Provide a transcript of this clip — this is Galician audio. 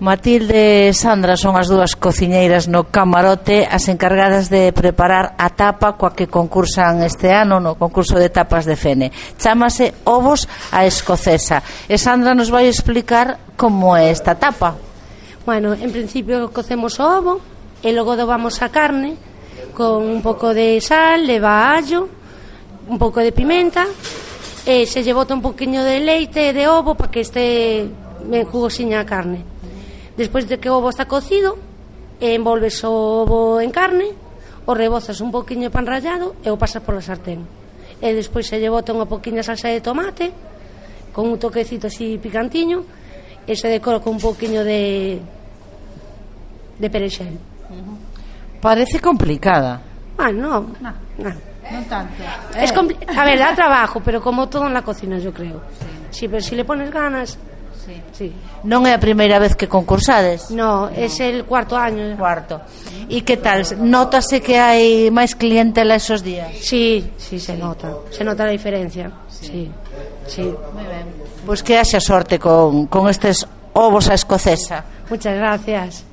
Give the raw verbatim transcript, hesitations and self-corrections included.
Matilde e Sandra son as dúas cociñeiras no camarote, as encargadas de preparar a tapa coa que concursan este ano no concurso de tapas de Fene. Chámase ovos á escocesa e Sandra nos vai explicar como é esta tapa. Bueno, en principio cocemos o ovo e logo dobamos a carne con un pouco de sal, leva allo, un pouco de pimenta e se lle bota un poquinho de leite e de ovo para que este ben jugosiña a carne. Despois de que o ovo está cocido, envolves o ovo en carne, o rebozas un poquinho de pan rallado e o pasas pola sartén. E despois se lle bota unha poquinha salsa de tomate con un toquecito así picantiño e se decora con un poquinho de de perexel. Parece complicada. Ah, no, no, no. Non tanto. Es compli- a ver, da trabajo, pero como todo en la cocina, yo creo. Sí, pero si le pones ganas. Sí. Sí. Non é a primeira vez que concursades? No, es el cuarto año. Cuarto. E que tal? Nótase que hai máis clientela esos días? Sí, sí, se nota. Se nota la diferencia. Sí, sí. Moi ben. Pois que haxa sorte con, con estes ovos á escocesa. Muchas gracias.